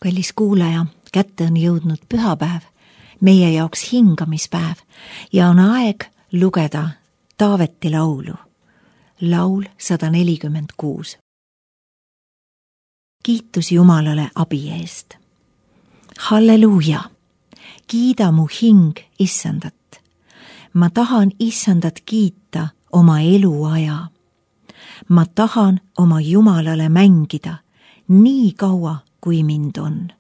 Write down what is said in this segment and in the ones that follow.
Kallis kuulaja, kätte on jõudnud pühapäev, meie jaoks hingamispäev ja on aeg lugeda Taaveti laulu. Laul 146. Kiitus Jumalale abi eest. Halleluuja! Kiida mu hing Issandat. Ma tahan Issandat kiita oma eluaja. Ma tahan oma Jumalale mängida nii kaua, kui mind on.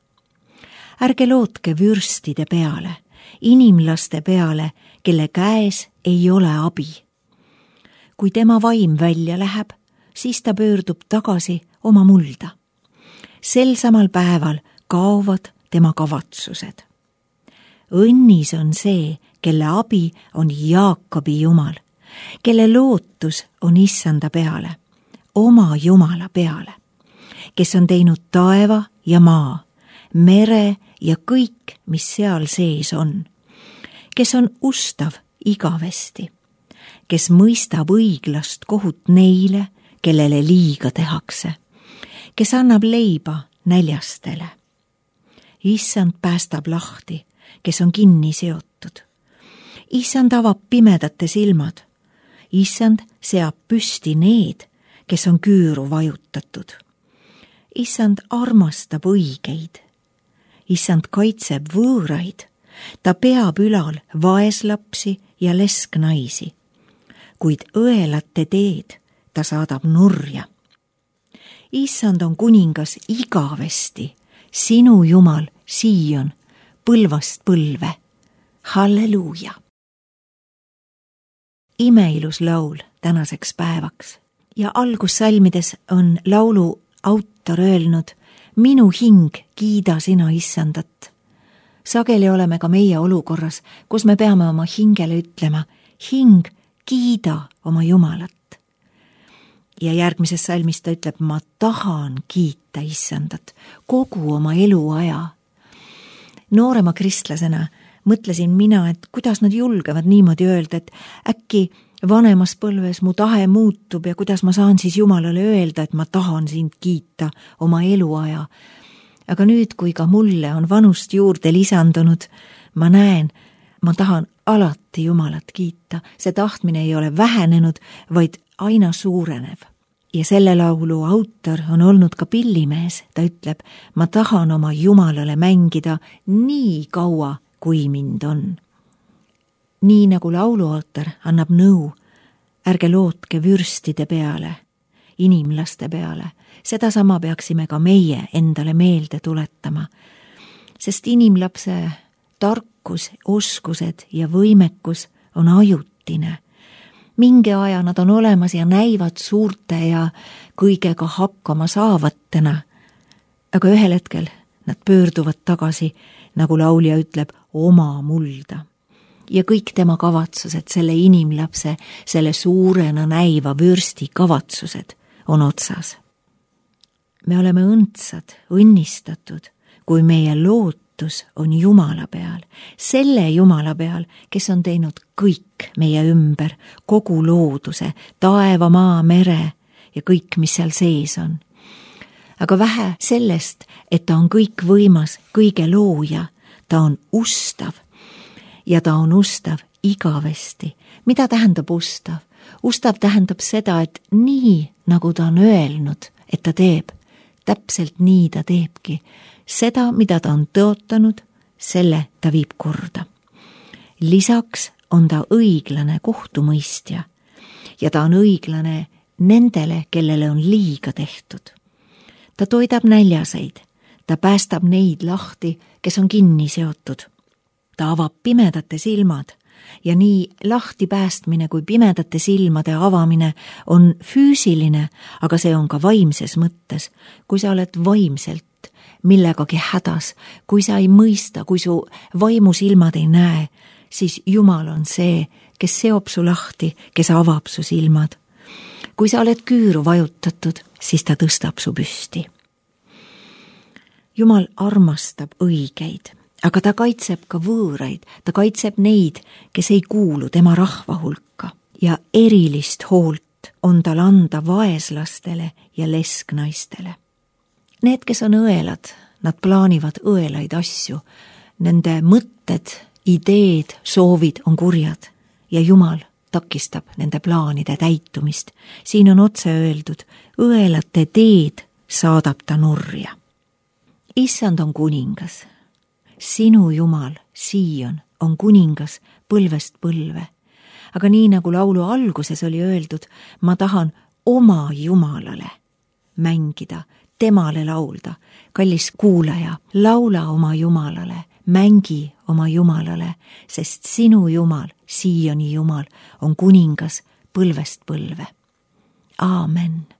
Ärge lootke vürstide peale, inimlaste peale, kelle käes ei ole abi. Kui tema vaim välja läheb, siis ta pöördub tagasi oma mulda. Sel samal päeval kaovad tema kavatsused. Õnnis on see, kelle abi on Jaakobi Jumal, kelle lootus on Issanda peale, oma Jumala peale, kes on teinud taeva ja maa, mere ja kõik, mis seal sees on, kes on ustav igavesti, kes mõistab õiglast kohut neile, kellele liiga tehakse, kes annab leiba näljastele. Issand päästab lahti, kes on kinni seotud. Issand avab pimedate silmad. Issand seab püsti need, kes on küüru vajutatud. Issand armastab õigeid. Issand kaitseb võõraid. Ta peab ülal vaeslapsi ja lesknaisi. Kuid õelate teed ta saadab nurja. Issand on kuningas igavesti, sinu Jumal Siion, põlvast põlve. Halleluuja! Imeilus laul tänaseks päevaks ja algussalmides on laulu autor öelnud: minu hing, kiida sina Issandat. Sageli oleme ka meie olukorras, kus me peame oma hingele ütlema: hing, kiida oma Jumalat. Ja järgmises salmis ta ütleb: ma tahan kiita Issandat kogu oma eluaja. Noorema kristlasena mõtlesin mina, et kuidas nad julgevad niimoodi öelda, et äkki vanemas põlves mu tahe muutub ja kuidas ma saan siis Jumalale öelda, et ma tahan sind kiita oma eluaja. Aga nüüd, kui ka mulle on vanust juurde lisandunud, ma näen, ma tahan alati Jumalat kiita. See tahtmine ei ole vähenenud, vaid aina suurenev. Ja selle laulu autor on olnud ka pillimees. Ta ütleb: ma tahan oma Jumalale mängida nii kaua, kui mind on. Nii nagu lauluautor annab nõu: ärge lootke vürstide peale, inimlaste peale. Sedasama peaksime ka meie endale meelde tuletama. Sest inimlapse tarkus, oskused ja võimekus on ajutine. Mingi aja nad on olemas ja näivad suurte ja kõigega hakkama saavatena. Aga ühel hetkel nad pöörduvad tagasi, nagu laulja ütleb, oma mulda. Ja kõik tema kavatsused, selle inimlapse, selle suurena näiva vürsti kavatsused on otsas. Me oleme õndsad, õnnistatud, kui meie lootus on Jumala peal, selle Jumala peal, kes on teinud kõik meie ümber, kogu looduse, taeva, maa, mere ja kõik, mis seal sees on. Aga vähe sellest, et ta on kõik võimas, kõige looja, ta on ustav ja ta on ustav igavesti. Mida tähendab ustav? Ustav tähendab seda, et nii, nagu ta on öelnud, et ta teeb, täpselt nii ta teebki. Seda, mida ta on tõotanud, selle ta viib korda. Lisaks on ta õiglane kohtumõistja ja ta on õiglane nendele, kellele on liiga tehtud. Ta toidab näljaseid, ta päästab neid lahti, kes on kinni seotud. Ta avab pimedate silmad ja nii lahti päästmine kui pimedate silmade avamine on füüsiline, aga see on ka vaimses mõttes. Kui sa oled vaimselt millegagi hädas, kui sa ei mõista, kui su vaimusilmad ei näe, siis Jumal on see, kes seob su lahti, kes avab su silmad. Kui sa oled küüru vajutatud, siis ta tõstab su püsti. Jumal armastab õigeid, aga ta kaitseb ka võõraid, ta kaitseb neid, kes ei kuulu tema rahva hulka ja erilist hoolt on tal anda vaeslastele ja lesknaistele. Need, kes on õelad, nad plaanivad õelaid asju, nende mõtted, ideed, soovid on kurjad ja Jumal takistab nende plaanide täitumist. Siin on otse öeldud, õelate teed saadab ta nurja. Issand on kuningas. Sinu Jumal, Sion, on kuningas põlvest põlve. Aga nii nagu laulu alguses oli öeldud, ma tahan oma Jumalale mängida, temale laulda. Kallis kuulaja, laula oma Jumalale, mängi oma Jumalale, sest sinu Jumal, Sioni Jumal, on kuningas põlvest põlve. Aamen.